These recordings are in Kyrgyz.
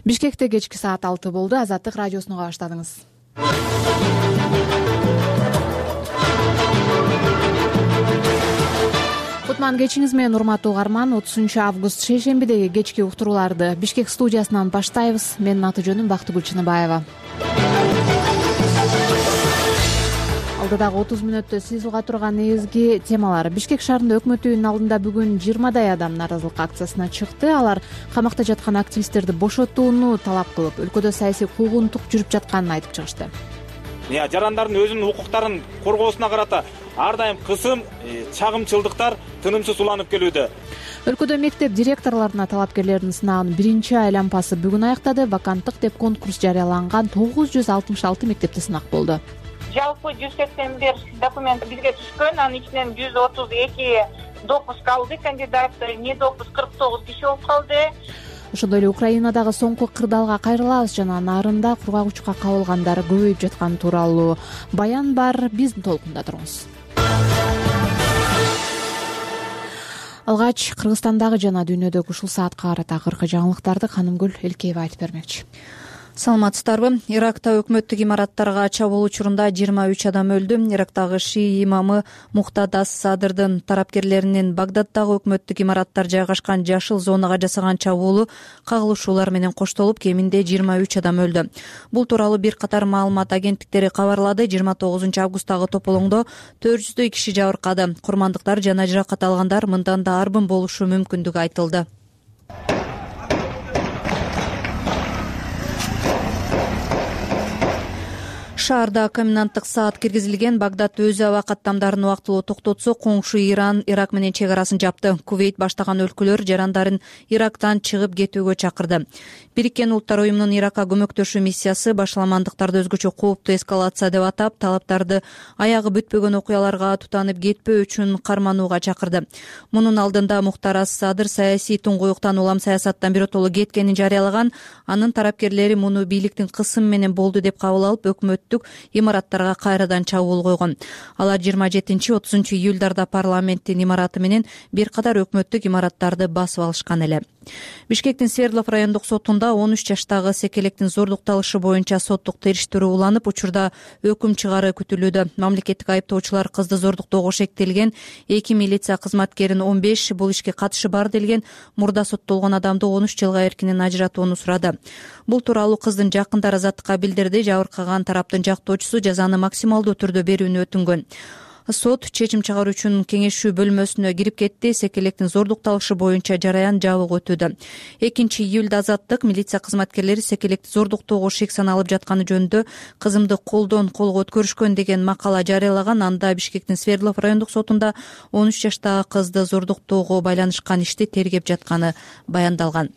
Бишкекте кечки саат 6 болду. Азаттык радиосуна баштадыңыз. Кутман кечиңиз менен урматтуу угарман. 30-август шейшембидеги кечки уктурууларды Бишкек студиясынан баштайбыз. Менин аты жөнүм Бактыгүл Чыныбаева. Алдыдагы 30 мүнөттө сиз уга турган негизги темалар. Бишкек шаарында өкмөт үйүнүн алдында бүгүн 20дай адам нааразылык акциясына чыкты. Алар камакта жаткан активисттерди бошотууну талап кылып, өлкөдө саясий куугунтук жүрүп жатканын айтып чыгышты. Жарандардын өзүнүн укуктарын коргоосуна карата ар дайым кысым, чагымчылдыктар тынымсыз уланып келүүдө. Өлкөдө мектеп директорлоруна талапкерлердин сынаанын биринчи айлампасы бүгүн аяктады. Ваканттык деп конкурс жарыяланган 966 мектепте сынак болду. Жалпы 181 документ бизге түшкөн, анын ичинен 132 допуск алды, кандидат не допуск 49 киши болуп калды. Ошондой эле Украинадагы соңку кырдаалга кайрылабыз жана нарында кургак кабылгандар көбөйүп жатканы тууралуу баян бар. Биздин толкунда туруңуз. Алгач Кыргызстандагы жана дүйнөдөгү ушул саатка карата акыркы жаңылыктарды Канымгүл Элкеева айтып бермекчи. Саламатсыздарбы? Иракта өкмөттүк имараттарга чабуул учурунда 23 адам өлдү. Ирактагы шии имамы Мухтад ас-Садырдын тарапкерлеринин Багдаддагы өкмөттүк имараттар жайгашкан жашыл зонага жасаган чабуулу кагылышуулар менен коштолуп, кеминде 23 адам өлдү. Бул тууралуу бир катар маалымат агенттиктери кабарлады. 29-августтагы тополоңдо 400дөй киши жабыркады. Курмандыктар жана жаракат алгандар мындан да арбын болушу мүмкүндүгү айтылды. Шаарда коменданттык саат киргизилген. Багдад өз аба каттамдарын убактылуу токтотсо, коңшу Иран Ирак менен чек арасын жапты. Кувейт баштаган өлкөлөр жарандарын Ирактан чыгып кетүүгө чакырды. Бириккен Улуттар уюмунун Иракка көмөктөшүү миссиясы башаламандыктарды өзгөчө кооптуу эскалация деп атап, талаптарды аягы бүтпөгөн окуяларга тутанып кетпөө үчүн карманууга чакырды. Мунун алдында Мухтар ас-Садыр саясий туңгуюктан улам саясаттан биротоло кеткенин жарыялаган. Анын тарапкерлери муну бийликтин кысымы менен болду деп кабыл алып, өкмөттүк имараттарга кайрадан чабуул койгон. Алар 27-30 июлдарда парламенттин имараты менен бир катар өкмөттүк имараттарды басып алышкан эле. Бишкектин Свердлов райондук сотунда 13 жаштагы секелектин зордукталышы боюнча соттук териштирүү уланып, учурда өкүм чыгаары күтүлүүдө. Мамлекеттик айыптоочулар кызды зордуктоого шектелген 2 милиция кызматкерин 15, бул ишке катышы бар делген мурда соттолгон адамды 13 жылга эркинен ажыратууну сурады. Бул тууралуу кыздын жакындары Азаттыкка билдирди. Жабыркаган тараптын жактоочусу жазаны максималдуу түрдө берүүнү өтүнгөн. Сот чечим чыгаруу үчүн кеңешүү бөлмөсүнө кирип кетти. Секелектин зордукталышы боюнча жараян жабык өтүүдө. 2-июлда Азаттык милиция кызматкерлери секелекти зордуктоого шек саналып жатканы жөнүндө кызымды колдон колго өткөрүшкөн деген макала жарыялаган. Анда Бишкектин Свердлов райондук сотунда 13 жаштагы кызды зордуктоого байланышкан ишти тергеп жатканы баяндалган.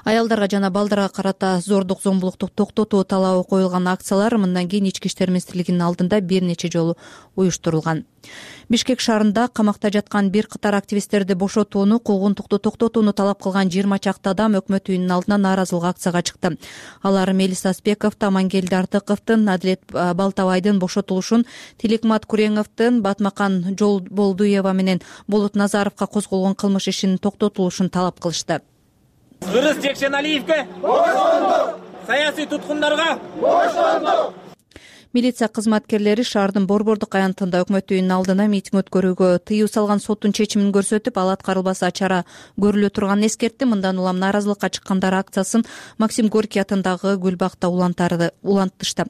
Аялдарга жана балдарга карата зордук зомбулукту токтотуу талабы коюлган акциялар мындан кийин Ички иштер министрлигинин алдында бир нече жолу уюштурулган. Бишкек шаарында камакта жаткан бир катар активисттерди бошотууну, куугунтукту токтотууну талап кылган 20 чакты адам өкмөт үйүнүнүн алдына нааразылык акцияга чыкты. Алар Мелис Аспековду, Амангелди Артыковдун, Адилет Балтабайдын бошотулушун, Тилекмат Куреңовдун, Батмакан Жолболдуева менен Болот Назаровго козголгон кылмыш ишинин токтотулушун талап кылышты. Кыргыз Жекшеналиевге бошондук, саясий туткундарга бошондук. Милиция кызматкерлери шаардын Борбордук аянтында өкмөт үйүнүнүн алдына митинг өткөрүүгө тыюу салган соттун чечимин көрсөтүп, ал аткарылбаса чара көрүлө турганын эскертти. Мындан улам нааразылыкка чыккандар акциясын Максим Горький атындагы Гүлбакта улантышты.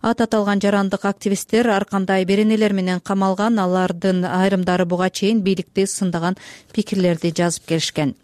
Аталган жарандык активисттер ар кандай беренелер менен камалган. Алардын айрымдары буга чейин бийликти сындаган пикирлерди жазып келишкен.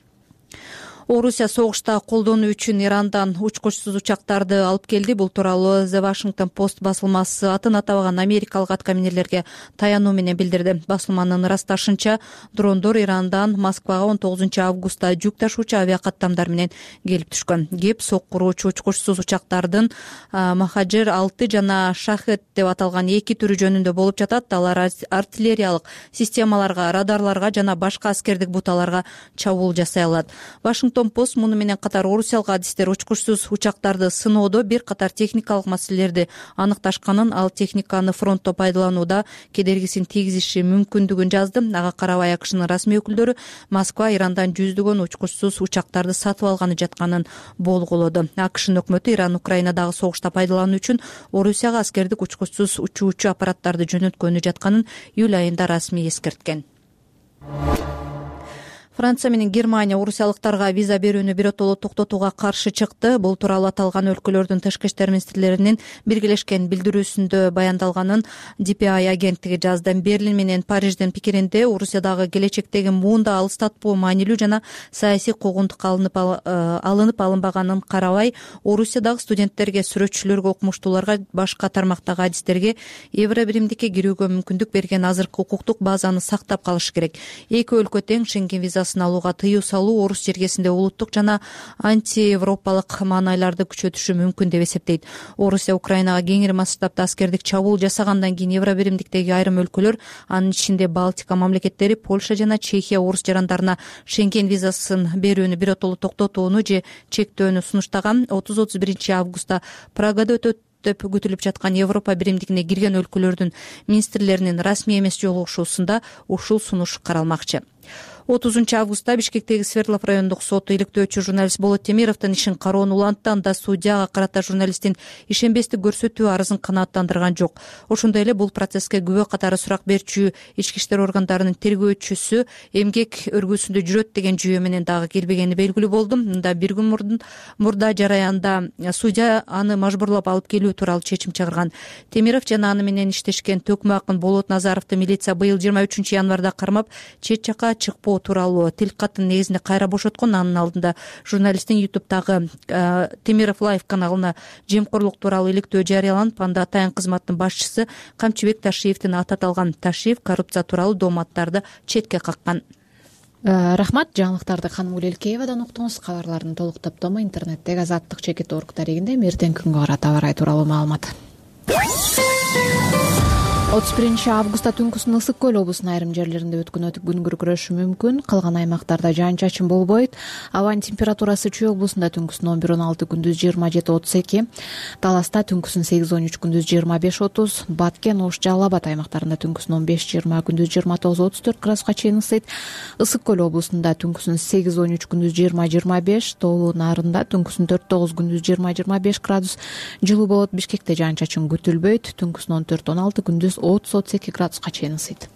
Орусия согушта колдонуу үчүн Ирандан учкучсуз учактарды алып келди. Бул тууралуу The Washington Post басылмасы атын атабаган америкалык аткаминерлерге таянуу менен билдирди. Басылманын ырасташынча, дрондор Ирандан Москвага 19-августта жүк ташуучу авиакаттамдар менен келип түшкөн. Кеп соккуруучу учкучсуз учактардын Махаджир 6 жана Шахет деп аталган 2 түрү жөнүндө болуп жатат. Алар артиллериялык системаларга, радарларга жана башка аскердик буталарга чабуул жасай алат. Вашингтон Вашингтон-Пост муну менен катар орусиялык адистер учкучсуз учактарды сыноодо бир катар техникалык маселелерди аныкташканын, ал техниканы фронтто пайдаланууда кедергисин тийгизиши мүмкүндүгүн жазды. Ага карабай АКШнын расмий өкүлдөрү Москва Ирандан жүздөгөн учкучсуз учактарды сатып алганы жатканын болгулоду. АКШнын өкмөтү Иран Украинадагы согушта пайдалануу үчүн Орусияга аскердик учкучсуз учуучу аппараттарды жөнөткөнү жатканын июль айында расмий эскерткен. Франция менен Германия орусиялыктарга виза берүүнү биротоло токтотууга каршы чыкты. Бул тууралуу аталган өлкөлөрдүн тышкы иштер министрлеринин биргелешкен билдирүүсүндө баяндалганын DPI агенттиги жазды. Берлин менен Париждин пикиринде Орусиядагы келечектеги муунда алыстатпоо маанилүү жана саясий куугунтук алынып алынбаганын карабай, Орусиядагы студенттерге, сүрөтчүлөргө, окумуштууларга, башка тармактагы адистерге евро биримдикке кирүүгө мүмкүндүк берген азыркы укуктук базаны сактап калыш керек. Эки өлкө тең Шенген визасын алууга тыюу салуу Орус жергесинде улуттук жана антиевропалык маанайларды күчөтүшү мүмкүн деп эсептейт. Орусия Украинага кеңири масштабта аскердик чабуул жасагандан кийин евро биримдиктеги айрым өлкөлөр, анын ичинде Балтика мамлекеттери, Польша жана Чехия орус жарандарына Шенген визасын берүүнү биротоло токтотууну же чектөөнү сунуштаган. 30-31 августта Прагада өтөт деп күтүлүп жаткан Европа биримдигине кирген өлкөлөрдүн министрлеринин расмий эмес жолугушуусунда ушул сунуш каралмакчы. 30 августта Бишкектеги Свердлов райондук соту иликтөөчү журналист Болот Темировдун ишин кароону улантты. Анда судьяга карата журналисттин ишенбестик көрсөтүү арызын канааттандырган жок. Ошондой эле бул процесске күбө катары сурак берүүчү ички иштер органдарынын тергөөчүсү эмгек өргүүсүндө жүрөт деген жүйө менен дагы келбегени белгилүү болду. Мында бир күн мурда жараянда судья аны мажбурлап алып келүү тууралуу чечим чыгарган. Темиров жана аны менен иштешкен төкмө акын Болот Назаровду милиция быйыл 23 январда кармап, чет жака чыкпоо тууралуу тил катын негизинде кайра бошоткон. Анын алдында журналисттин YouTube'дагы Темиров Лайв каналына жемкорлук тууралуу иликтөө жарыяланып, анда атайын кызматтын башчысы Камчыбек Ташиевдин аты аталган. Ташиев коррупция тууралуу дооматтарды четке каккан. Рахмат. Жаңылыктарды Ханым Гүлелкеевадан уктуңуз. Кабарлардын толук топтому интернеттеги Азаттык чекит орг таригинде. Эртең күнгө карата аба ырайы тууралуу маалымат. 31 августта түнкүсүн Ысык көл облусунун айрым жерлеринде өткөн күн күркүрөшү мүмкүн. Калган аймактарда жаан-чачын болбойт. Абанын температурасы Чүй облусунда түнкүсүн 11-16, күндүз 27-32, Таласта түнкүсүн 8-13, күндүз 25-30, Баткен, Ош, Жалал Абад аймактарында түнкүсүн 15-20, күндүз 29-34 градуска чейин ысыйт. Ысык көл облусунда түнкүсүн 8-13, күндүз 20-25, Тоолуу Нарында түнкүсүн 4-9, күндүз 20-25 градус жылуу болот. Бишкекте жаан-чачын күтүлбөйт. Түнкүсүн 14-16, күндүз 30-32 градуска чейин ысыйт.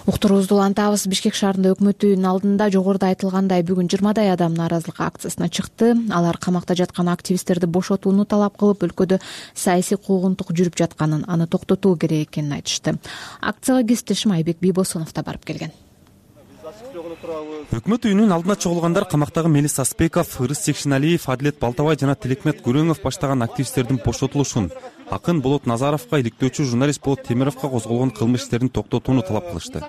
Уктуруубузду улантабыз. Бишкек шаарында өкмөт үйүнүн алдында жогоруда айтылгандай бүгүн 20дай адам нааразылык акциясына чыкты. Алар камакта жаткан активисттерди бошотууну талап кылып, өлкөдө саясий куугунтук жүрүп жатканын, аны токтотуу керек экенин айтышты. Акцияга кесиптешим Айбек Бийбосунов да барып келген. Өкмөт үйүнүн алдына чогулгандар камактагы Мелис Аспеков, Ырыс Секшиналиев, Адилет Балтабай жана Тилекмет Күрөңов баштаган активисттердин бошотулушун, акын Болот Назаровго, иликтөөчү журналист Болот Темировго козголгон кылмыш иштерин токтотууну талап кылышты.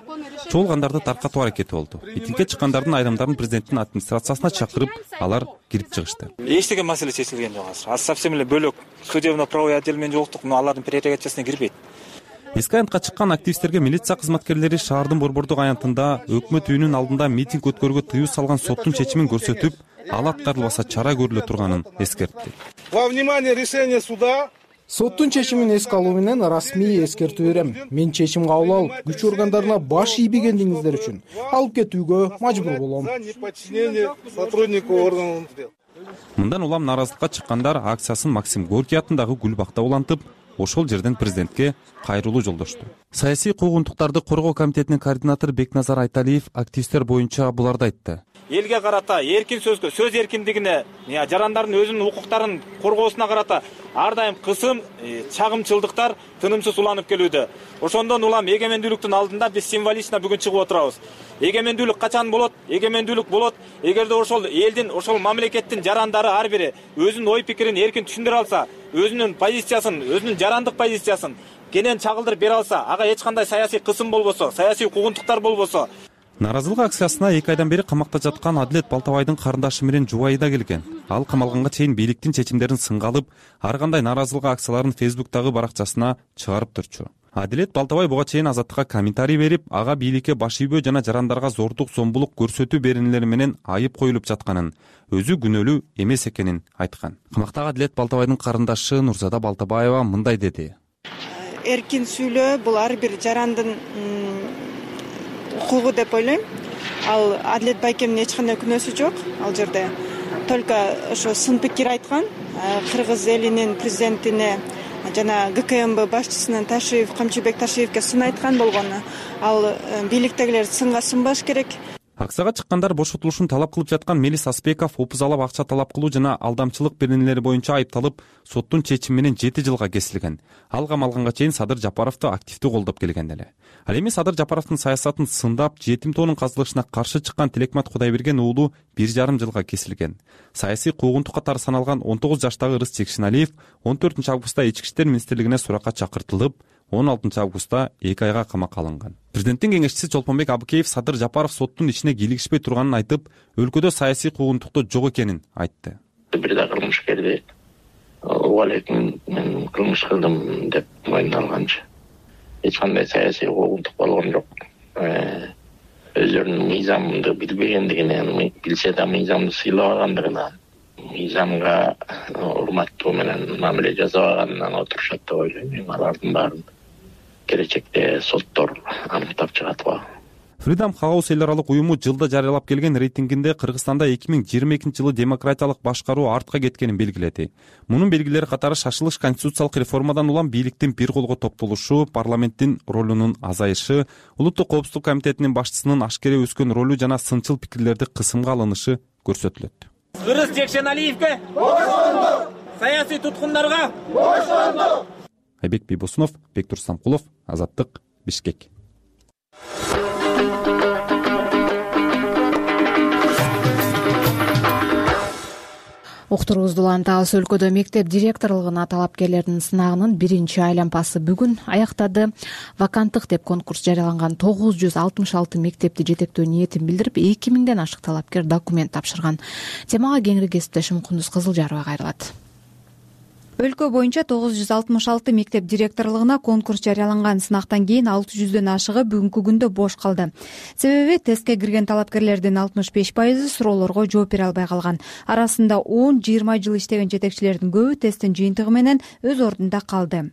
Чогулгандарды таркатуу аракети болду. Митингге чыккандардын айрымдарын президенттин администрациясына чакырып, алар кирип чыгышты. Эч деген маселе чечилген жок азыр. Совсем эле бөлөк судебно-правовой отдел менен жолуктук, алардын прерогативасына кирбейт. Эски аянтка чыккан активисттерге милиция кызматкерлери шаардын борбордук аянтында өкмөт үйүнүн алдында митинг өткөрүүгө тыюу салган соттун чечимин көрсөтүп, ал аткарылбаса чара көрүлө турганын эскертти. Во внимание решение суда. Соттун чечимин эске алуу менен расмий эскертүү берем. Мен чечим кабыл алып, күч органдарына баш ийбегендигиңиздер үчүн алып кетүүгө мажбур болом. Мындан улам нааразылыкка чыккандар акциясын Максим Горький атындагы Гүл бакта улантып, ошол жерден президентке кайрылуу жолдошту. Саясий куугунтуктарды коргоо комитетинин координатору Бекназар Айталиев активисттер боюнча буларды айтты. Элге карата эркин сөзгө, сөз эркиндигине, жарандардын өзүнүн укуктарын коргоосуна карата ар дайым кысым, чагымчылдыктар тынымсыз уланып келүүдө. Ошондон улам эгемендүүлүктүн алдында биз символично бүгүн чыгып отурабыз. Эгемендүүлүк качан болот? Эгемендүүлүк болот эгерде ошол элдин, ошол мамлекеттин жарандары ар бири өзүнүн ой пикирин эркин түшүндүрө алса, өзүнүн позициясын, өзүнүн жарандык позициясын кенен чагылдырып бере алса, ага эч кандай саясий кысым болбосо, саясий куугунтуктар болбосо. Нааразылык акциясына 2 айдан бери камакта жаткан Адилет Балтабайдын карындашы менен жубайы да келген. Ал камалганга чейин бийликтин чечимдерин сынга алып, ар кандай нааразылык акцияларын Facebook'тагы баракчасына чыгарып турчу. Адилет Балтабай буга чейин Азаттыкка комментарий берип, ага бийликке баш ийбөө жана жарандарга зордук зомбулук көрсөтүү беренелери менен айып коюлуп жатканын, өзү күнөөлүү эмес экенин айткан. Камактагы Адилет Балтабайдын карындашы Нурзада Балтабаева мындай деди. Эркин сүйлөө бул ар бир жарандын укугу деп ойлойм. Ал Адилет байкемдин эч кандай күнөөсү жок ал жерде. Только ошо сын пикир айткан. Кыргыз элинин президентине жана ГКМБ башчысынын Камчыбек Ташиевке сын айткан болгону. Ал бийликтегилер сынга сынбаш керек. Аксага чыккандар бошотулушун талап кылып жаткан Мелис Аспеков опузалап акча талап кылуу жана алдамчылык беренелери боюнча айыпталып, соттун чечими менен 7 жылга кесилген. Ал кам алганга чейин Садыр Жапаровду активдүү колдоп келген эле. Ал эми Садыр Жапаровдун саясатын сындап, жетим тоонун казылышына каршы чыккан Тилекмат Кудайберген уулу 1,5 жылга кесилген. Саясий куугунтук катары саналган 19 жаштагы Ырыс Чекшиналиев 14 августта Ички иштер министрлигине суракка чакыртылып, 16 августта 2 айга камакка алынган. Президенттин кеңешчиси Чолпонбек Абыкеев Садыр Жапаров соттун ишине кийлигишпей турганын айтып, өлкөдө саясий куугунтукту жок экенин айтты. Бир да кылмышкерди угалеп мен кылмыш кылдым деп мойнуна алганчы эч кандай саясий куугунтук болгон жок. Өздөрүнүн мыйзамды билбегендигинен, билсе да мыйзамды сыйлабагандыгынан, мыйзамга урматтуу менен мамиле жасабаганынан отурушат деп ойлойм. Алардын баарын келечекте соттор аныктап чыгат го. Freedom House эл аралык уюму жылда жарыялап келген рейтингинде Кыргызстанда 2022 жылы демократиялык башкаруу артка кеткенин белгиледи. Мунун белгилери катары шашылыш конституциялык реформадан улам бийликтин бир колго топтолушу, парламенттин ролунун азайышы, Улуттук коопсуздук комитетинин башчысынын ашкере өскөн ролу жана сынчыл пикирлерди кысымга алынышы көрсөтүлөт. Ырыс Чекшиналиевге бошондук! Саясий туткундарга бошондук! Айбек Бийбосунов, Бектур Самкулов, Азаттык, Бишкек. Уктуруубузду улантабыз. Өлкөдө мектеп директорлугуна талапкерлердин сынагынын биринчи айлампасы бүгүн аяктады. Ваканттык деп конкурс жарыяланган 966 мектепти жетектөө ниетин билдирип, 2000ден ашык талапкер документ тапшырган. Темага кеңири кесиптешим Кундуз Кызылжарова кайрылат. Өлкө боюнча 966 мектеп директорлугуна конкурс жарыяланган. Сынактан кийин 600дөн ашыгы бүгүнкү күндө бош калды. Себеби тестке кирген талапкерлердин 65% суроолорго жооп бере албай калган. Арасында 10-20 жыл иштеген жетекчилердин көбү тесттин жыйынтыгы менен өз ордунда калды.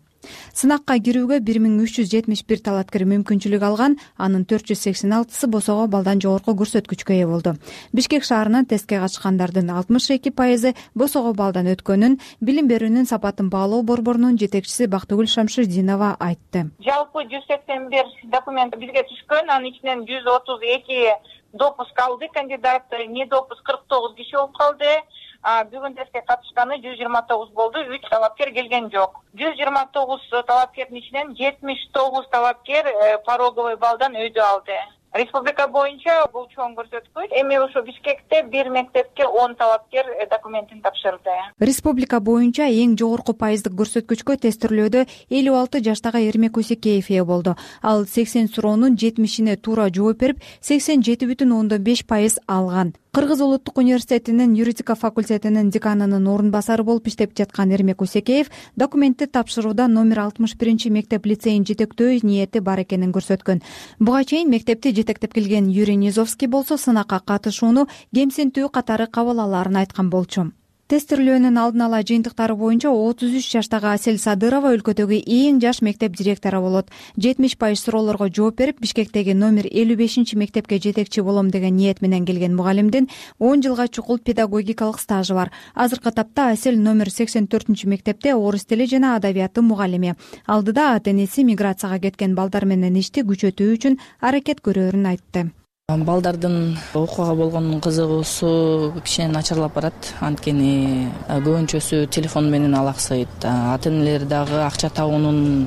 Сынакка кирүүгө 1371 талапкер мүмкүнчүлүк алган, анын 486сы босого балдан жогорку көрсөткүчкө ээ болду. Бишкек шаарынан тестке катышкандардын 62% босого балдан өткөнүн билим берүүнүн сапатын баалоо борборунун жетекчиси Бактыгүл Шамшырдинова айтты. Жалпы 181 документ бизге түшкөн, анын ичинен 132 допуск алды, кандидат не допуск 49 киши болуп калды. Бүгүн тестке катышканы 129 болду, 3 талапкер келген жок. 129 талапкердин ичинен 79 талапкер пороговый балдан өйдө алды. Республика боюнча бул чоң көрсөткүч. Эми ошо Бишкекте бир мектепке 10 талапкер документин тапшырды. Республика боюнча эң жогорку пайыздык көрсөткүчкө тестирлөөдө 56 жаштагы Эрмек Усекеев ээ болду. Ал 80 суроонун 70-ине туура жооп берип, 87,5% алган. Кыргыз улуттук университетинин юридика факультетинин деканынын орун басары болуп иштеп жаткан Эрмек Усекеев документти тапшырууда номер 61 мектеп лицейин жетектөө ниети бар экенин көрсөткөн. Буга чейин мектепти жетектеп келген Юрий Низовский болсо сынакка катышууну кемсинтүү катары кабыл алаарын айткан болчу. Тестирлөөнүн алдын ала жыйынтыктары боюнча 33 жаштагы Асель Садырова өлкөдөгү эң жаш мектеп директору болот. 70% суроолорго жооп берип, Бишкектеги номер 55 мектепке жетекчи болом деген ниет менен келген мугалимдин 10 жылга чукул педагогикалык стажы бар. Азыркы тапта Асель номер 84 мектепте орус тили жана адабияты мугалими. Алдыда ата-энеси миграцияга кеткен балдар менен ишти күчөтүү үчүн аракет көрөөрүн айтты. Балдардын окууга болгон кызыгуусу кичине начарлап барат. Анткени көбүнчөсү телефон менен алаксайт. Ата-энелер дагы акча табуунун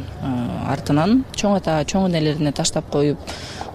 артынан чоң энелерине таштап коюп,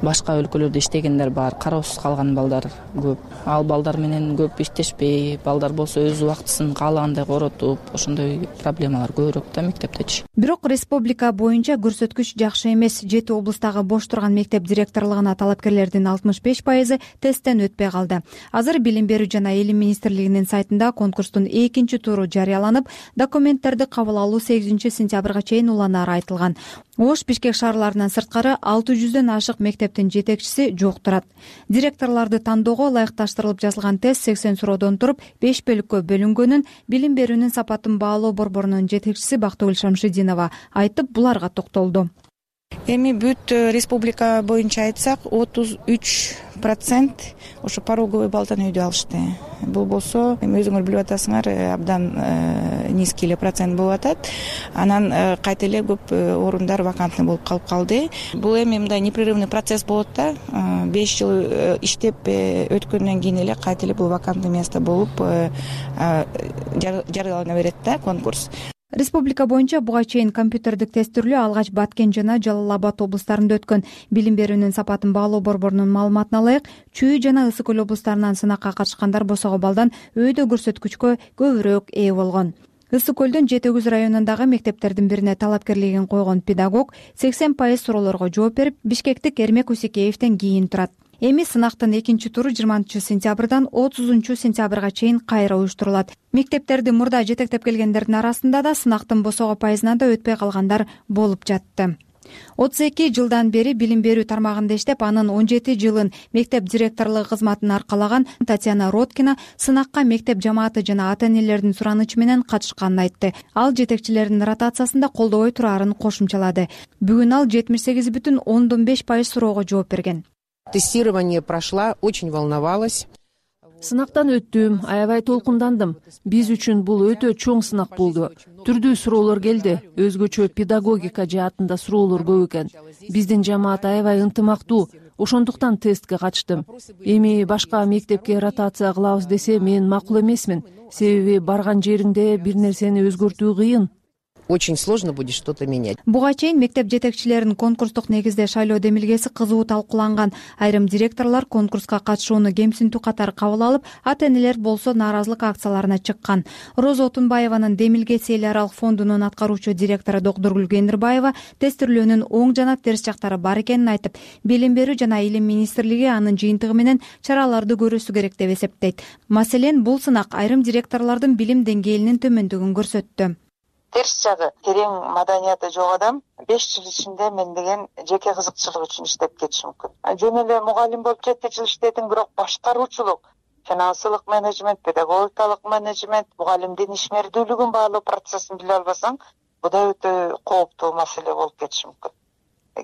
башка өлкөлөрдө иштегендер бар, кароосуз калган балдар көп. Ал балдар менен көп иштешпей, балдар болсо өз убактысын каалагандай коротуп, ошондой проблемалар көбүрөөк да мектептечи. Бирок республика боюнча көрсөткүч жакшы эмес. 7 облустагы бош турган мектеп директорлугуна талапкерлердин 65% тесттен өтпөй калды. Азыр билим берүү жана илим министрлигинин сайтында конкурстун экинчи туру жарыяланып, документтерди кабыл алуу 8 сентябрга чейин уланары айтылган. Ош, Бишкек шаарларынан сырткары 600дөн ашык мектептин жетекчиси жок турат. Директорлорду тандоого ылайыкташтырылып жазылган тест 80 суроодон туруп 5 бөлүккө бөлүнгөнүн билим берүүнүн сапатын баалоо борборунун жетекчиси Бактыгүл Шамшидинова айтып, буларга токтолду. Эми бүт республика боюнча айтсак 33% ошо пороговый баллдан өйдө алышты. Бул болсо эми өзүңөр билип атасыңар, абдан низкий эле процент болуп атат. Анан кайта эле көп орундар вакантный болуп калып калды. Бул эми мындай непрерывный процесс болот да. 5 жыл иштеп өткөндөн кийин эле кайта эле бул вакантный место болуп жарыялана берет да конкурс. Республика боюнча буга чейин компьютердик тестирлөө алгач Баткен жана Жалал Абад облустарында өткөн. Билим берүүнүн сапатын баалоо борборунун маалыматына ылайык, Чүй жана Ысык Көл облустарынан сынакка катышкандар босого балдан өйдө көрсөткүчкө көбүрөөк ээ болгон. Ысык Көлдүн Жети Өгүз районундагы мектептердин бирине талапкерлигин койгон педагог 80% суроолорго жооп берип, Бишкектик Эрмек Усекеевден кийин турат. Эми сынактын экинчи туру 20-сентябрдан 30-сентябрга чейин кайра уюштурулат. Мектептерди мурда жетектеп келгендердин арасында да сынактын босого пайызына да өтпөй калгандар болуп жатты. 32 жылдан бери билим берүү тармагында иштеп, анын 17 жылын мектеп директорлугу кызматын аркалаган Татьяна Роткина сынакка мектеп жамааты жана ата-энелердин суранычы менен катышканын айтты. Ал жетекчилердин ротациясында колдобой турарын кошумчалады. Бүгүн ал 78,5% суроого жооп берген. Тестирование прошла, очень волновалась. Сынактан өттүм, аябай толкундандым. Биз үчүн бул өтө чоң сынак болду. Түрдүү суроолор келди. Өзгөчө педагогика жаатында суроолор көп экен. Биздин жамаат аябай ынтымактуу. Ошондуктан тестке катыштым. Эми башка мектепке ротация кылабыз десе мен макул эмесмин. Себеби барган жериңде бир нерсени өзгөртүү кыйын. Очень сложно будет что-то менять. Буга чейин мектеп жетекчилеринин конкурстук негизде шайлоо демилгеси кызуу талкууланган. Айрым директорлор конкурска катышууну кемсинтүү катары кабыл алып, ата-энелер болсо нааразылык акцияларына чыккан. Роза Отунбаеванын демилгеси эл аралык фондунун аткаруучу директору Докторгүл Кендирбаева тестирлөөнүн оң жана терс жактары бар экенин айтып, билим берүү жана илим министрлиги анын жыйынтыгы менен чараларды көрүүсү керек деп эсептейт. Маселен, бул сынак айрым директорлордун билим деңгээлинин төмөндүгүн көрсөттү. Терс жагы, терең маданияты жок адам 5 жыл ичинде мен деген жеке кызыкчылык үчүн иштеп кетиши мүмкүн. Жөн эле мугалим болуп 7 жыл иштедим, бирок башкаруучулук, финансылык менеджмент, педагогикалык менеджмент, мугалимдин ишмердүүлүгүн баалоо процессин биле албасаң, бу да өтө кооптуу маселе болуп кетиши мүмкүн.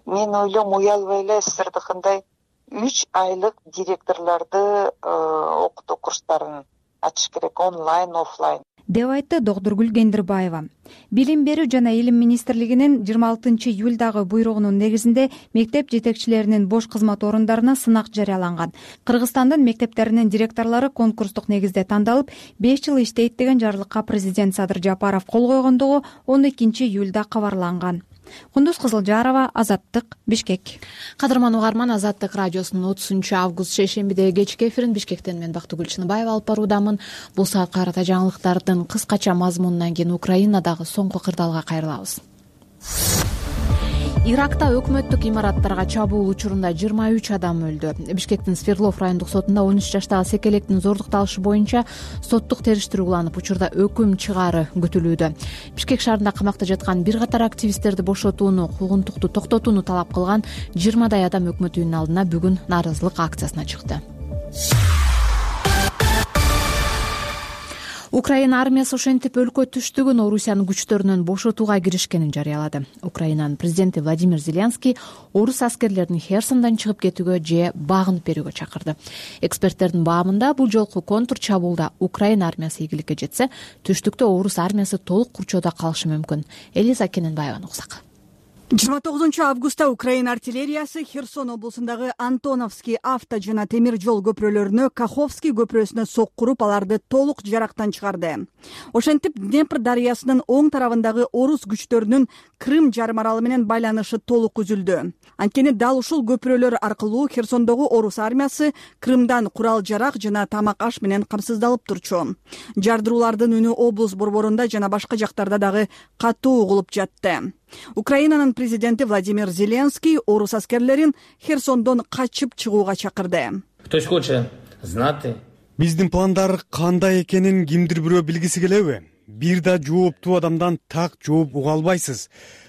Мен ойлойм, уялбай эле сиздердикиндай 3 айлык директорлорду окутуу курстарын ачыш керек, онлайн, офлайн, деп айтты Докторгүл Кендирбаева. Билим берүү жана илим министрлигинин 26 июлдагы буйругунун негизинде мектеп жетекчилеринин бош кызмат орундарына сынак жарыяланган. Кыргызстандын мектептеринин директорлору конкурстук негизде тандалып, 5 жыл иштейт деген жарлыкка президент Садыр Жапаров кол койгондугу 12 июлда кабарланган. Кундуз Кызылжарова, Азаттык, Бишкек. Кадырман угарман, Азаттык радиосунун 30-август шейшембидеги кечки эфирин Бишкектен мен Бактыгүл Чыныбаева алып баруудамын. Бул саатка карата жаңылыктардын кыскача мазмунунан кийин Украинадагы соңку кырдаалга кайрылабыз. Иракта өкмөттүк имараттарга чабуул учурунда 23 адам өлдү. Бишкектин Свердлов райондук сотунда 13 жаштагы секелектин зордукталышы боюнча соттук териштирүү уланып, учурда өкүм чыгаары күтүлүүдө. Бишкек шаарында камакта жаткан бир катар активисттерди бошотууну, куугунтукту токтотууну талап кылган 20дай адам өкмөт үйүнүнүн алдына бүгүн нааразылык акциясына чыкты. Украина армиясы ошентип өлкө түштүгүн Орусиянын күчтөрүнөн бошотууга киришкенин жарыялады. Украинанын президенти Владимир Зеленский орус аскерлерин Херсондан чыгып кетүүгө же багынып берүүгө чакырды. Эксперттердин баамында бул жолку контр чабуулда Украина армиясы ийгиликке жетсе, түштүктө орус армиясы толук курчоодо калышы мүмкүн. Элиза Кененбаеваны уксак. 29 августта Украина артиллериясы Херсон облусундагы Антоновский авто жана темир жол көпүрөлөрүнө Каховский көпүрөсүнө соккуруп, аларды толук жарактан чыгарды. Ошентип, Днепр дарыясынын оң тарабындагы орус күчтөрүнүн Крым жарым аралы менен байланышы толук үзүлдү. Анткени дал ушул көпүрөлөр аркылуу Херсондогу орус армиясы Крымдан курал-жарак жана тамак-аш менен камсыздалып турчу. Жардыруулардын үнү облус борборунда жана башка жактарда дагы катуу угулуп жатты. Украинанын президенти Владимир Зеленский орус аскерлерин Херсондон качып чыгууга чакырды. Ktoś хоче знати. Биздин пландар кандай экенин кимдир бирөө билгиси келеби? Бир да жооптуу адамдан так жооп уга албайсыз.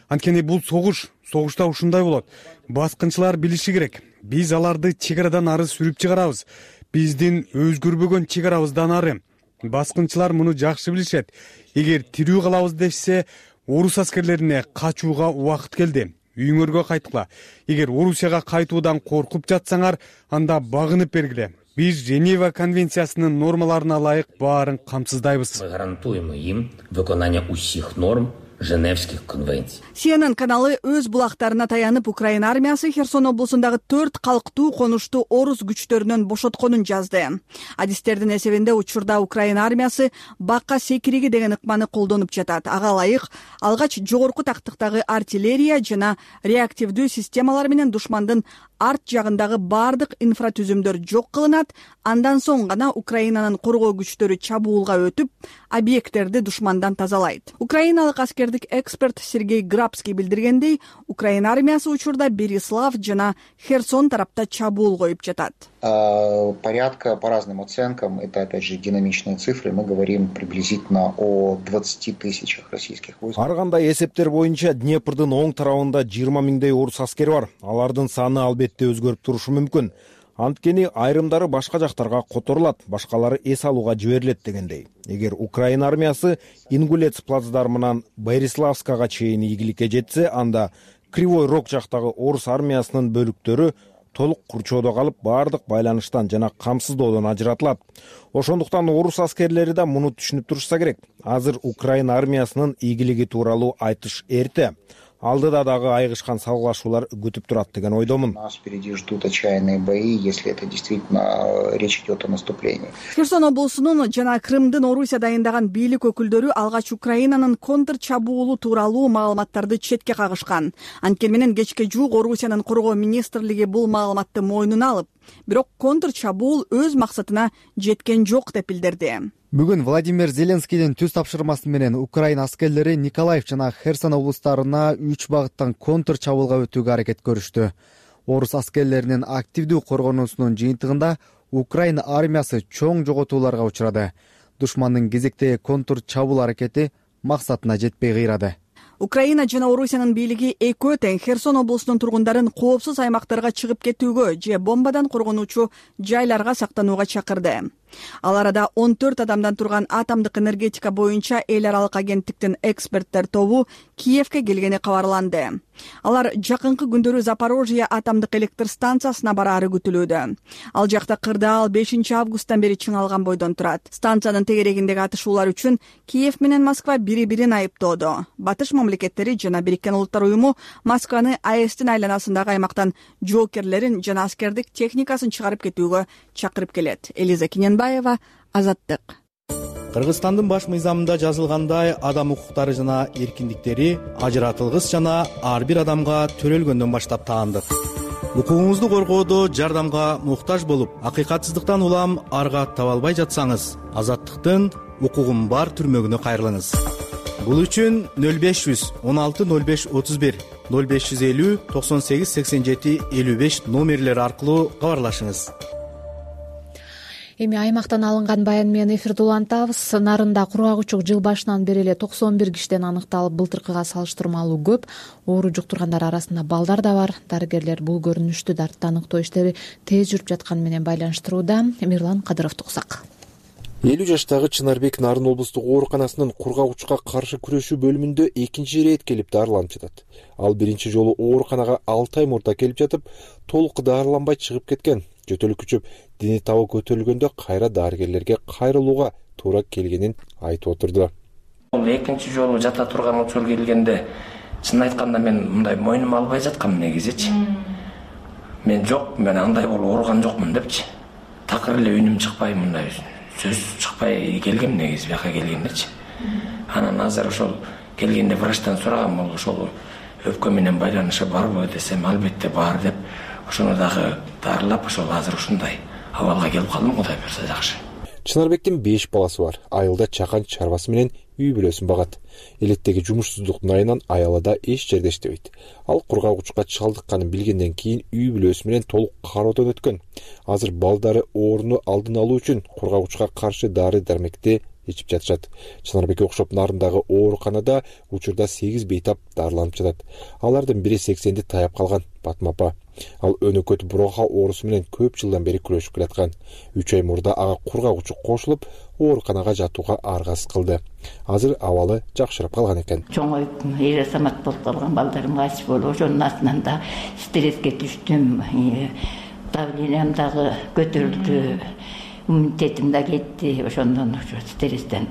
Анткени бул согушта ушундай болот. Баскынчылар билиши керек. Биз аларды чек арадан ары сүрүп чыгарабыз. Биздин өзгөрбөгөн чек арабыздан ары. Баскынчылар муну жакшы билишет. Эгер тирүү калабыз дешсе, орус аскерлерине качууга убакыт келди. Үйүңөргө кайткыла. Эгер Орусияга кайтуудан коркуп жатсаңар, анда багынып бергиле. Биз Женева конвенциясынын нормаларына ылайык баарын камсыздайбыз. Мы гарантуем им выполнение усих норм Женевских конвенций. CNN каналы өз булактарына таянып, Украина армиясы Херсон облусундагы 4 калктуу конушту орус күчтөрүнөн бошотконун жазды. Адистердин эсебинде учурда Украина армиясы бакка секириги деген ыкманы колдонуп жатат. Ага ылайык алгач жогорку тактыктагы артиллерия жана реактивдүү системалар менен душмандын арт жагындагы бардык инфратүзүмдөр жок кылынат. Андан соң гана Украинанын коргоо күчтөрү чабуулга өтүп, объекттерди душмандан тазалайт. Украиналык аскердик эксперт Сергей Грабский билдиргендей, Украина армиясы учурда Берислав жана Херсон тарапта чабуул коюп жатат. Порядка по разным оценкам, это опять же динамичные цифры, мы говорим приблизительно о 20 тысячах российских войск. Ар кандай эсептер боюнча Днепрдин оң тарабында 20 миңдей орус аскери бар. Алардын саны албетте өзгөрүп турушу мүмкүн. Анткени айрымдары башка жактарга которулат, башкалары эс алууга жиберилет дегендей. Эгер Украина армиясы Ингулец плацдармынан Бориславскага чейин ийгиликке жетсе, анда Кривой Рог жактагы орус армиясынын бөлүктөрү толук курчоодо калып, бардык байланыштан жана камсыздоодон ажыратылат. Ошондуктан орус аскерлери да муну түшүнүп турушса керек. Азыр Украина армиясынын ийгилиги тууралуу айтыш эрте. Алдыда дагы айгышкан салгылашуулар күтүп турат деген ойдомун. Нас впереди ждут отчаянные бои, если это действительно речь идет о наступлении. Херсон облусунун жана Крымдын Орусия дайындаган бийлик өкүлдөрү алгач Украинанын контр чабуулу тууралуу маалыматтарды четке кагышкан. Анткени менен кечке жуук Орусиянын коргоо министрлиги бул маалыматты мойнуна алып, бирок контр чабуул өз максатына жеткен жок деп билдирди. Бүгүн Владимир Зеленскийдин түз тапшырмасы менен Украина аскерлери Николаев жана Херсон облустарына 3 багыттан контр чабуулга өтүүгө аракет көрүштү. Орус аскерлеринин активдүү коргонуусунун жыйынтыгында Украина армиясы чоң жоготууларга учурады. Душмандын кезектеги контр чабуул аракети максатына жетпей кыйрады. Украина жана Орусиянын бийлиги экөө тең Херсон облусунун тургундарын коопсуз аймактарга чыгып кетүүгө же бомбадан коргонуучу жайларга сактанууга чакырды. Ал арада 14 адамдан турган атомдук энергетика боюнча эл аралык агенттиктин эксперттер тобу Киевке келгени кабарланды. Алар жакынкы күндөрү Запорожье атомдук электр станциясына бараары күтүлүүдө. Ал жакта кырдаал 5 августтан бери чыңалган бойдон турат. Станциянын тегерегиндеги атышуулар үчүн Киев менен Москва бири-бирин айыптоодо. Батыш мамлекеттери жана Бириккен Улуттар уюму Москваны АЭСтин айланасындагы аймактан жоокерлерин жана аскердик техникасын чыгарып кетүүгө чакырып келет. Элиза Киненбаева, Азаттык. Кыргызстандын баш мыйзамында жазылгандай, адам укуктары жана эркиндиктери ажыратылгыс жана ар бир адамга төрөлгөндөн баштап таандык. Укугуңузду коргоодо жардамга муктаж болуп, акыйкатсыздыктан улам арга таба албай жатсаңыз, Азаттыктын укугум бар түрмөгүнө кайрылыңыз. Бул үчүн 0500 16 05 31 0550 98 87 55 номерлери аркылуу кабарлашыңыз. Эми аймактан алынган баян менен эфирди улантабыз. Нарында кургагычук жыл башынан бери эле 91 кишиден аныкталып, былтыркыга салыштырмалуу көп. Оору жуктургандар арасында балдар да бар. Дарыгерлер бул көрүнүштү дартты аныктоо иштери тез жүрүп жатканы менен байланыштырууда. Мирлан Кадыровду уксак. 50 жаштагы Чынарбек Нарын облустук ооруканасынын кургагычка каршы күрөшүү бөлүмүндө экинчи ирет келип дарыланып жатат. Ал биринчи жолу ооруканага 6 ай мурда келип жатып, толук дарыланбай чыгып кеткен. Жөтөлүк күчүп, дини табы көтөрүлгөндө кайра дарыгерлерге кайрылууга туура келгенин айтып отурду. Экинчи жолу жата турган учур келгенде, чын айтканда мен мындай мойнума албай жаткам негизичи. Мен жок, мен андай болуп ооруган жокмун депчи. Такыр эле үнүм чыкпай, мындай сөз чыкпай келгем негизи бияка келгендечи. Анан азыр ошол келгенде врачтан сурагам, бул ошол өпкө менен байланышы барбы десем, албетте бар деп, ошону дагы дарылап, ошол азыр ушундай абалга келип калдым, Кудай буйрса жакшы. Чынарбектин 5 баласы бар. Айылда чакан чарбасы менен үй бүлөсүн багат. Элеттеги жумушсуздуктун айынан аялада эч жерде иштебейт. Ал кургагычка чалдыкканын билгенден кийин үй бүлөсү менен толук кароодон өткөн. Азыр балдары ооруну алдын алуу үчүн кургагычка каршы дары-дармекти ичип жатышат. Чынарбекке окшоп Нарындагы ооруканада учурда 8 бейтап дарыланып жатат. Алардын бири 80-ди таяп калган Батма апа. Ал өнөкөт буроха оорусу менен көп жылдан бери күрөшүп келаткан. 3 ай мурда ага кургак учук кошулуп, ооруканага жатууга аргасыз кылды. Азыр абалы жакшырап калган экен. Чоңоюп, эр азамат болуп калган балдарым кайсы болуп, ошонун астынан да стресске түштүм. Давлениям дагы көтөрүлдү. Иммунитетим да кетти. Ошондон стресстен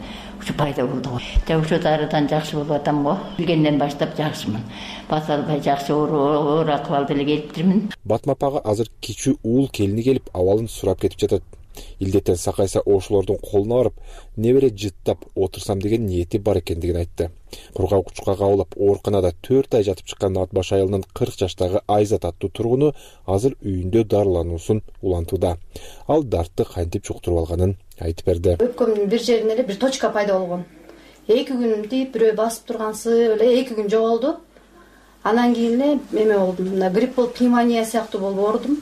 пайда болду го. Ошо дарыдан жакшы болуп атам го. Билгенден баштап жакшымын. Баса албай жакшы оор акыбалда эле келиптирмин. Батма апага азыр кичүү уул келини келип, абалын сурап кетип жатат. Илдеттен сакайса ошолордун колуна барып, небере жыттап отурсам деген ниети бар экендигин айтты. Кургак учукка кабылып, ооруканада 4 ай жатып чыккан Атбаш айылынын 40 жаштагы Айзат аттуу тургуну азыр үйүндө дарылануусун улантууда. Ал дартты кантип чуктуруп алганын айтып берди. Өпкөмдүн бир жеринде эле бир точка пайда болгон. 2 күн тийип, бирөө басып тургансы эле 2 күн жоголду. Анан кийин эле эме болдум. Мына грипп болуп, пневмония сыяктуу болуп оорудум.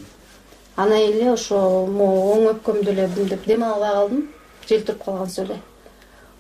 Анан эле ошо оң өпкөмдү эле бүндүп дем албай калдым. Желтирип калгансыз эле.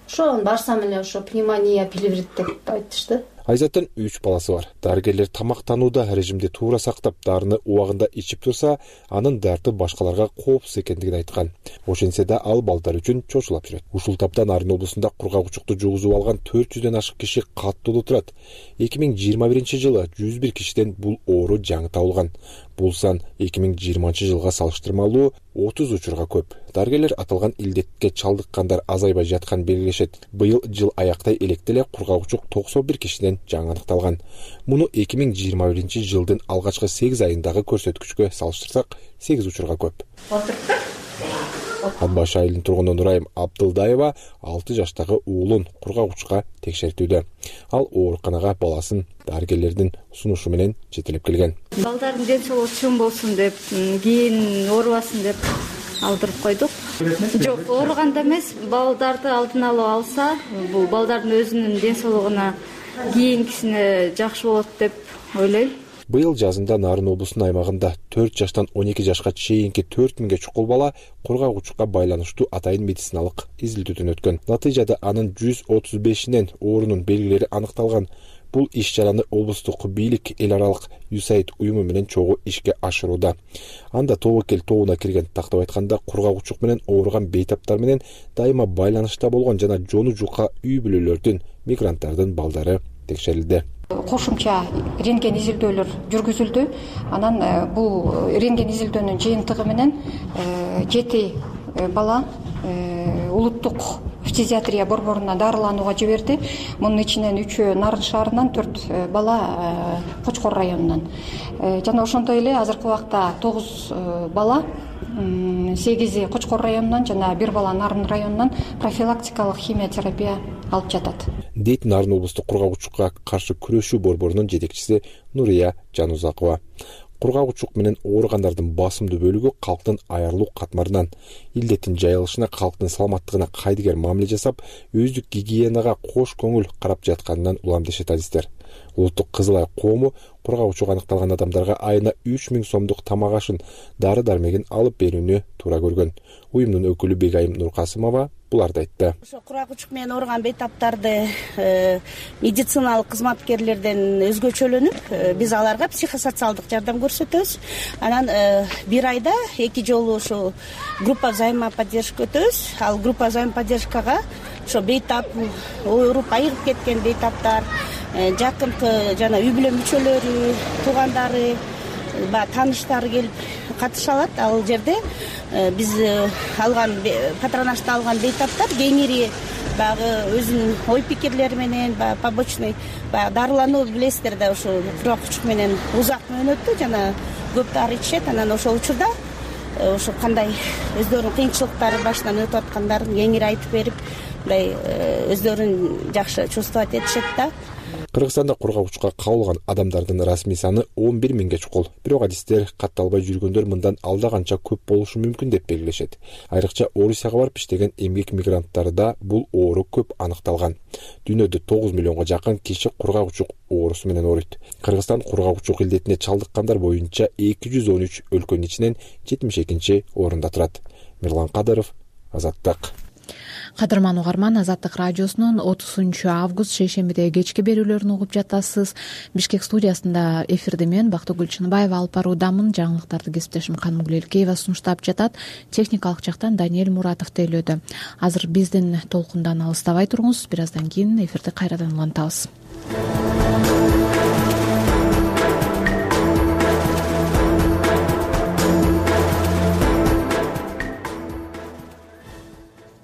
Ошо барсам эле ошо пневмония, плеврит деп айтышты. Айзаттын 3 баласы бар. Дарыгерлер тамактанууда режимди туура сактап, дарыны убагында ичип турса, анын дарты башкаларга коопсуз экендигин айткан. Ошентсе да ал балдар үчүн чочулап жүрөт. Ушул тапта Нарын облусунда кургак учукту жугузуп алган 400дөн ашык киши каттуу турат. 2021-жылы 101 кишиден бул оору жаңы табылган. Бул сан 2020 жылга салыштырмалуу 30 учурга көп. Дарыгерлер аталган илдетке чалдыккандар азайбай жатканын белгилешет. Быйыл жыл аяктай электе эле кургак учук 91 кишиден жаңы аныкталган. Муну 2021-жылдын алгачкы 8 айындагы көрсөткүчкө салыштырсак, 8 учурга көп. Атбаш айылынын тургуну Нурайым Абдылдаева 6 жаштагы уулун кургак учукка текшертүүдө. Ал ооруканага баласын дарыгерлердин сунушу менен жетелеп келген. Балдардын ден соолугу чоң болсун деп, кийин оорубасын деп алдырып койдук. Жок, ооруганда эмес, балдарды алдын алып алса, бул балдардын өзүнүн ден соолугуна кийинкисине жакшы болот деп ойлойм. Быйыл жазында Нарын облусунун аймагында 4 жаштан 12 жашка чейинки 4000ге чукул бала кургак учукка байланыштуу атайын медициналык изилдөөдөн өткөн. Натыйжада анын 135инен оорунун белгилери аныкталган. Бул иш-чараны облустук бийлик эл аралык USAID уюму менен чогуу ишке ашырууда. Анда тобокел тобуна кирген, тактап айтканда кургак учук менен ооруган бейтаптар менен дайыма байланышта болгон жана жону жука үй бүлөлөрдүн, мигранттардын балдары текшерилди. Кошумча рентген изилдөөлөр жүргүзүлдү. Анан бул рентген изилдөөнүн жыйынтыгы менен 7 бала улуттук фтизиатрия борборуна дарыланууга жиберди. Мунун ичинен 3-өө Нарын шаарынан, 4 бала Кочкор районунан. Жана ошондой эле азыркы убакта 9 бала, 8 Кочкор районунан жана 1 бала Нарын районунан профилактикалык химиотерапия алып жатат. Дейт Нарын облустук кургак учукка каршы күрөшүү борборунун жетекчиси Нурия Жанузакова. Кургак учук менен ооругандардын басымдуу бөлүгү калктын аярлуу катмарынан, илдеттин жайылышына, калктын саламаттыгына кайдыгер мамиле жасап, өздүк гигиенага кош көңүл карап жатканынан улам дешет азиздер. Улуттук Кызыл Ай коому кургак учук аныкталган адамдарга айына 3000 сомдук тамак ашын, дары-дармегин алып берүүнү туура көргөн. Уюмдун өкүлү Бегайым Нуркасымова буларды айтты. Ошо кургак учук менен ооруган бейтаптарды медициналык кызматкерлерден өзгөчөлөнүп, биз аларга психосоциалдык жардам көрсөтөбүз. Анан бир айда 2 жолу ошо группа взаимоподдержка өтөбүз. Ал группа взаимоподдержкага ошо бейтап, ооруп айыгып кеткен бейтаптар, жакынкы жана үй бүлө мүчөлөрү, туугандары, тааныштары келип катыша алат. Ал жерде биз алган патронажды алган бейтаптар кеңири баягы өзүнүн ой пикирлери менен, побочный дарылануу билесиздер да, ошо кургак учук менен узак мөөнөттүү жана көп дары ичишет. Анан ошол учурда ошо кандай өздөрүнүн кыйынчылыктары башынан өтүп аткандарын кеңири айтып берип, мындай өздөрүн жакшы чувствовать этишет да. Кыргызстанда кургак учукка кабылган адамдардын расмий саны 11 миңге чукул. Бирок адистер катталбай жүргөндөр мындан алда канча көп болушу мүмкүн деп белгилешет. Айрыкча Орусияга барып иштеген эмгек мигранттарында бул оору көп аныкталган. Дүйнөдө 9 миллионго жакын киши кургак учук оорусу менен ооруйт. Кыргызстан кургак учук илдетине чалдыккандар боюнча 213 өлкөнүн ичинен 72-орунда турат. Мирлан Кадыров, Азаттык. Кадырман угарман, Азаттык радиосунун 30 август шейшембидеги кечки берүүлөрүн угуп жатасыз. Бишкек студиясында эфирди мен Бактыгүл Чыныбаева алып баруудамын. Жаңылыктарды кесиптешим Канымгүл Элкеева сунуштап жатат. Техникалык жактан Даниэль Муратов тейлөөдө. Азыр биздин толкундан алыстабай туруңуз. Бир аздан кийин эфирди кайрадан улантабыз.